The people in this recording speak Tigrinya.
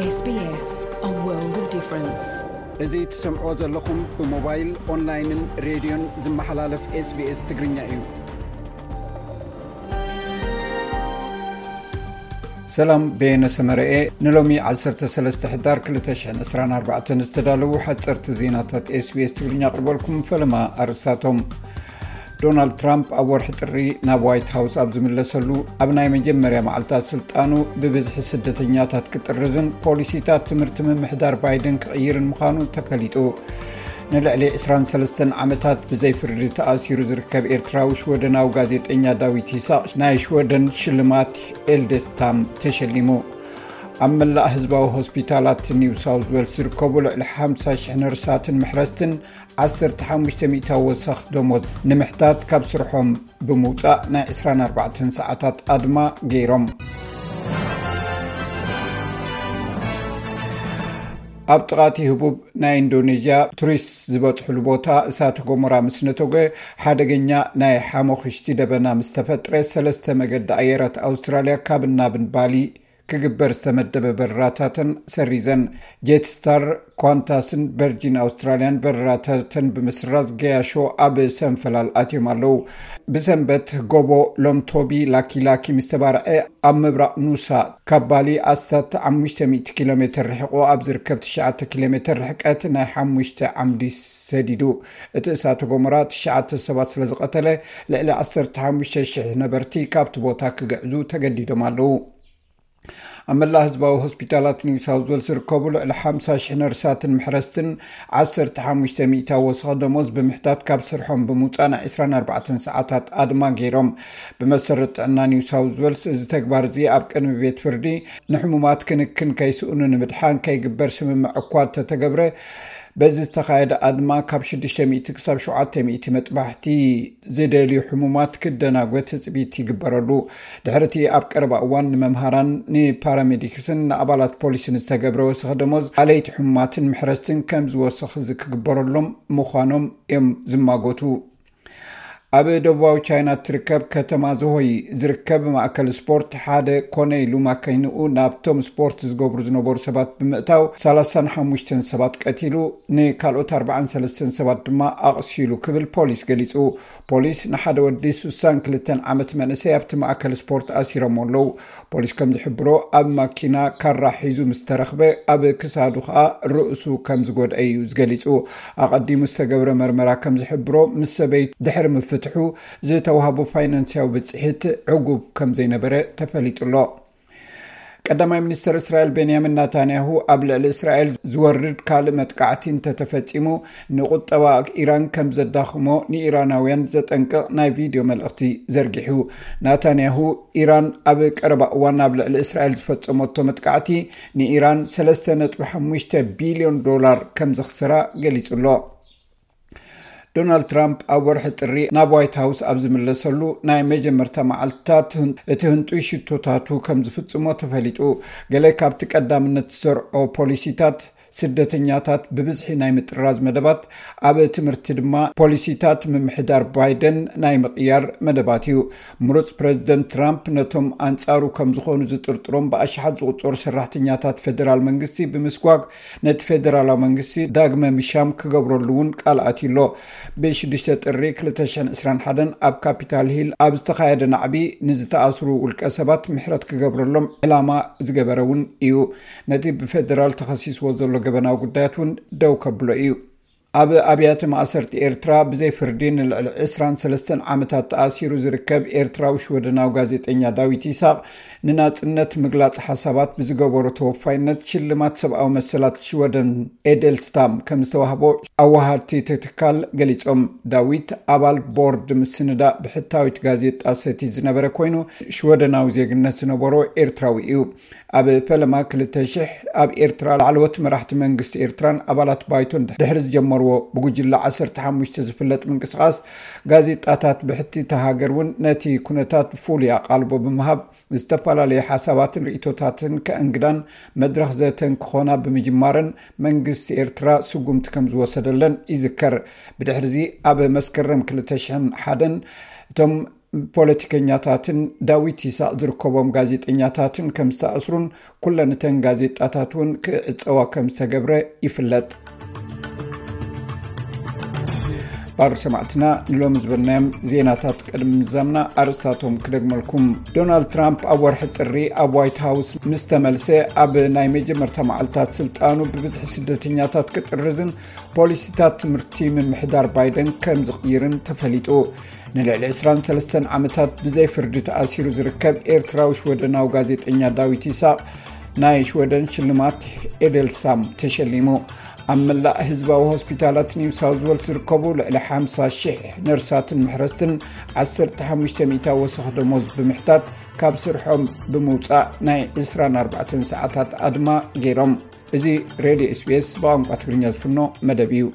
S B S, a world of difference. እዚ ትሰምዕዎ ዘለኹም ብሞባይል፣ ኦንላይንን ሬድዮን ዝመሓላለፍ S B S ትግርኛ እዩ። ሰላም፣ በየነ ሰመረኤ። ንሎሚ ዓሰርተ ሰለስተ ሕዳር ክልተ ሽሕን ዕስራን ኣርባዕተን ዝተዳለዉ ሓፀርቲ ዜናታት S B S ትግርኛ ኣቕርበልኩም። ፈለማ ኣርእስታቶም። ዶናልድ ትራምፕ ኣብ ወርሒ ጥሪ ናብ ዋይት ሃውስ ኣብ ዝምለሰሉ፣ ኣብ ናይ መጀመርያ መዓልታት ስልጣኑ ብብዝሒ ስደተኛታት ክጥርዝን ፖሊሲታት ትምህርቲ ምምሕዳር ባይደን ክቕይርን ምዃኑ ተፈሊጡ። ንልዕሊ ዕስራን ሰለስተን ዓመታት ብዘይ ፍርዲ ተኣሲሩ ዝርከብ ኤርትራዊ ሽወደናዊ ጋዜጠኛ ዳዊት ይስሐቅ ናይ ሽወደን ሽልማት ኤልደስታም ተሸሊሙ። ኣብ መላእ ህዝባዊ ሆስፒታላት ኒው ሳውዝ ዌልስ ዝርከቡ ልዕሊ ሓምሳ ሽሕ ነርሳትን ምሕረስትን ዓሰርተ ሓሙሽተ ሚእታዊ ወሰኽ ደሞዝ ንምሕታት ካብ ስርሖም ብምውጻእ ናይ ዕስራን ኣርባዕተን ሰዓታት ኣድማ ገይሮም። ኣብ ጥቓቲ ህቡብ ናይ ኢንዶኔዥያ ቱሪስት ዝበጽሕሉ ቦታ እሳተ ጎመራ ምስ ነተጎ ሓደገኛ ናይ ሓሞኽሽቲ ደበና ምስ ተፈጥረ ሰለስተ መገዲ ኣየራት ኣውስትራልያ ካብን ናብን ባሊ ክግበር ዝተመደበ በረራታተን ሰሪዘን። ጄትስታር፣ ኳንታስን ቨርጂን ኣውስትራልያን በረራታተን ብምስራዝ ገያሾ ኣብ ሰንፈላል ኣትዮም ኣለዉ። ብሰንበት ጎቦ ሎምቶቢ ላኪላኪ ምስ ተባርዐ ኣብ ምብራቕ ኑሳ ካብ ባሊ ኣስታት ሓሙሽተ ሚእቲ ኪሎ ሜትር ርሒቑ ኣብ ዝርከብ ትሽዓተ ኪሎ ሜትር ርሕቀት ናይ ሓሙሽተ ዓምዲ ሰዲዱ። እቲ እሳተ ጎመራ ትሽዓተ ሰባት ስለ ዝቐተለ ልዕሊ ዓሰርተ ሓሙሽተ ሽሕ ነበርቲ ካብቲ ቦታ ክግዕዙ ተገዲዶም ኣለዉ። ኣብ መላእ ህዝባዊ ሆስፒታላት ኒው ሳውዝ ዌልስ ዝርከቡ ልዕሊ ሓምሳ ሽሕ ነርሳትን ምሕረስትን ዓሰርተ ሓሙሽተ ሚእታዊ ወሰኽ ደሞዝ ብምሕታት ካብ ስርሖም ብምውጻእ ናይ ዕስራን ኣርባዕተን ሰዓታት ኣድማ ገይሮም። ብመሰረት ጥዕና ኒው ሳውዝ ዌልስ እዚ ተግባር እዚ ኣብ ቅድሚ ቤት ፍርዲ ንሕሙማት ክንክን ከይስእኑ ንምድሓን ከይግበር ስምምዕ እኳ እንተተገብረ፣ በዚ ዝተኻየደ ኣድማ ካብ ሽዱሽተ ሚእቲ ክሳብ ሸውዓተ ሚእቲ መጥባሕቲ ዝደልዩ ሕሙማት ክደናጎ ትጽቢት ይግበረሉ። ድሕሪ እቲ ኣብ ቀረባ እዋን ንመምሃራን ንፓራሜዲክስን ንኣባላት ፖሊስን ዝተገብረ ወሰኽ ደሞዝ፣ ኣለይቲ ሕሙማትን ምሕረስትን ከም ዝወሰኽ እዚ ክግበረሎም ምዃኖም እዮም ዝማጎቱ። ኣብ ደቡባዊ ቻይና እትርከብ ከተማ ዞሆይ ዝርከብ ማእከል ስፖርት ሓደ ኮነ ኢሉ ማኪንኡ ናብቶም ስፖርት ዝገብሩ ዝነበሩ ሰባት ብምእታው ሰላሳን ሓሙሽተን ሰባት ቀቲሉ፣ ንካልኦት ኣርባዓን ሰለስተን ሰባት ድማ ኣቕሲሉ ክብል ፖሊስ ገሊጹ። ፖሊስ ንሓደ ወዲ ሱሳን ክልተን ዓመት መንእሰይ ኣብቲ ማእከል ስፖርት ኣሲሮም ኣለዉ። ፖሊስ ከም ዝሕብሮ ኣብ ማኪና ካራ ሒዙ ምስ ተረኽበ ኣብ ክሳዱ ከኣ ርእሱ ከም ዝጎድአ እዩ ዝገሊጹ። ኣቐዲሙ ዝተገብረ መርመራ ከም ዝሕብሮ ምስ ሰበይቱ ድሕሪ ምፍትሑ ዝተዋህቦ ፋይናንስያዊ ብጽሒት ዕጉብ ከም ዘይነበረ ተፈሊጡ ኣሎ። ቀዳማይ ሚኒስተር እስራኤል ቤንያሚን ናታንያሁ ኣብ ልዕሊ እስራኤል ዝወርድ ካልእ መጥቃዕቲ እንተተፈጺሙ ንቁጠባ ኢራን ከም ዘዳኽሞ ንኢራናውያን ዘጠንቅቕ ናይ ቪድዮ መልእኽቲ ዘርጊሑ። ናታንያሁ ኢራን ኣብ ቀረባ እዋን ኣብ ልዕሊ እስራኤል ዝፈጸመቶ መጥቃዕቲ ንኢራን ሰለስተ ነጥቢ ሓሙሽተ ቢልዮን ዶላር ከም ዘኽስራ ገሊጹ ኣሎ። ዶናልድ ትራምፕ ኣብ ወርሒ ጥሪ ናብ ዋይት ሃውስ ኣብ ዝምለሰሉ ናይ መጀመርታ መዓልትታት ህን-፣ እቲ ህንጡይ ሽቶታቱ ከም ዝፍጽሞ ተፈሊጡ። ገለ ካብቲ ቀዳምነት ዝሰርዖ ፖሊሲታት ስደተኛታት ብብዝሒ ናይ ምጥራዝ መደባት፣ ኣብ ትምህርቲ ድማ ፖሊሲታት ምምሕዳር ባይደን ናይ ምቕያር መደባት እዩ። ምሩጽ ፕረዚደንት ትራምፕ ነቶም ኣንጻሩ ከም ዝኾኑ ዝጥርጥሮም ብኣሽሓት ዝቑጸሩ ሰራሕተኛታት ፌደራል መንግስቲ ብምስጓግ ነቲ ፌደራላዊ መንግስቲ ዳግመ ምሻም ክገብረሉ እውን ቃል ኣትዩ ኣሎ። ብሽዱሽተ ጥሪ ክልተ ሽሕን ዕስራን ሓደን ኣብ ካፒታል ሂል ኣብ ዝተኻየደ ናዕቢ ንዝተኣስሩ ውልቀ ሰባት ምሕረት ክገብረሎም ዕላማ ዝገበረ እውን እዩ። ነቲ ብፌደራል ተኸሲስዎ ዘሎ ገበናዊ ጉዳያት እውን ደው ከብሎ እዩ። ኣብ ኣብያተ ማእሰርቲ ኤርትራ ብዘይ ፍርዲ ንልዕሊ ዕስራን ሰለስተን ዓመታት ተኣሲሩ ዝርከብ ኤርትራዊ ሽወደናዊ ጋዜጠኛ ዳዊት ይስሐቅ ንናጽነት ምግላጽ ሓሳባት ብዝገበሮ ተወፋይነት ሽልማት ሰብኣዊ መሰላት ሽወደን ኤደልስታም ከም ዝተዋህቦ ኣዋሃድቲ እቲ ትካል ገሊጾም። ዳዊት ኣባል ቦርድ ምስንዳእ ብሕታዊት ጋዜጣ ሰቲ ዝነበረ ኮይኑ ሽወደናዊ ዜግነት ዝነበሮ ኤርትራዊ እዩ። ኣብ ፈለማ ክልተ ሽሕ ኣብ ኤርትራ ላዕለዎት መራሕቲ መንግስቲ ኤርትራን ኣባላት ባይቶን ድሕሪ ዝጀመርዎ ብጉጅለ ዓሰርተ ሓሙሽተ ዝፍለጥ ምንቅስቓስ ጋዜጣታት ብሕቲ እታ ሃገር እውን ነቲ ኩነታት ፍሉይ ኣቓልቦ ብምሃብ ዝተፈላለዩ ሓሳባትን ርእይቶታትን ከእንግዳን መድረኽ ዘተን ክኾና ብምጅማረን መንግስቲ ኤርትራ ስጉምቲ ከም ዝወሰደለን ይዝከር። ብድሕሪዚ ኣብ መስከረም ክልተ ሽሕን ሓደን እቶም ፖለቲከኛታትን ዳዊት ይስሐቅ ዝርከቦም ጋዜጠኛታትን ከም ዝተኣስሩን ኩለን እተን ጋዜጣታት እውን ክዕጸዋ ከም ዝተገብረ ይፍለጥ። ባር ሰማዕትና ንሎሚ ዝበልናዮም ዜናታት ቅድሚ ምዛምና ኣርእስታቶም ክደግመልኩም። ዶናልድ ትራምፕ ኣብ ወርሒ ጥሪ ኣብ ዋይት ሃውስ ምስ ተመልሰ ኣብ ናይ መጀመርታ መዓልታት ስልጣኑ ብብዝሒ ስደተኛታት ክጥርዝን ፖሊሲታት ትምህርቲ ምምሕዳር ባይደን ከም ዝቕይርን ተፈሊጡ። ንልዕሊ ዕስራን ሰለስተን ዓመታት ብዘይ ፍርዲ ተኣሲሩ ዝርከብ ኤርትራዊ ሽወደናዊ ጋዜጠኛ ዳዊት ይስሐቅ ናይ ሽወደን ሽልማት ኤደልስታም ተሸሊሙ። ኣብ መላእ ህዝባዊ ሆስፒታላት ኒው ሳውዝ ዌልስ ዝርከቡ ልዕሊ ሓምሳ ሽሕ ነርሳትን ምሕረስትን ዓሰርተ ሓሙሽተ ሚእታዊ ወሰኽ ደሞዝ ብምሕታት ካብ ስርሖም ብምውፃእ ናይ ዕስራን ኣርባዕተን ሰዓታት ኣድማ ገይሮም። እዚ ሬድዮ ኤስቢኤስ ብቋንቋ ትግርኛ ዝፍኖ መደብ እዩ።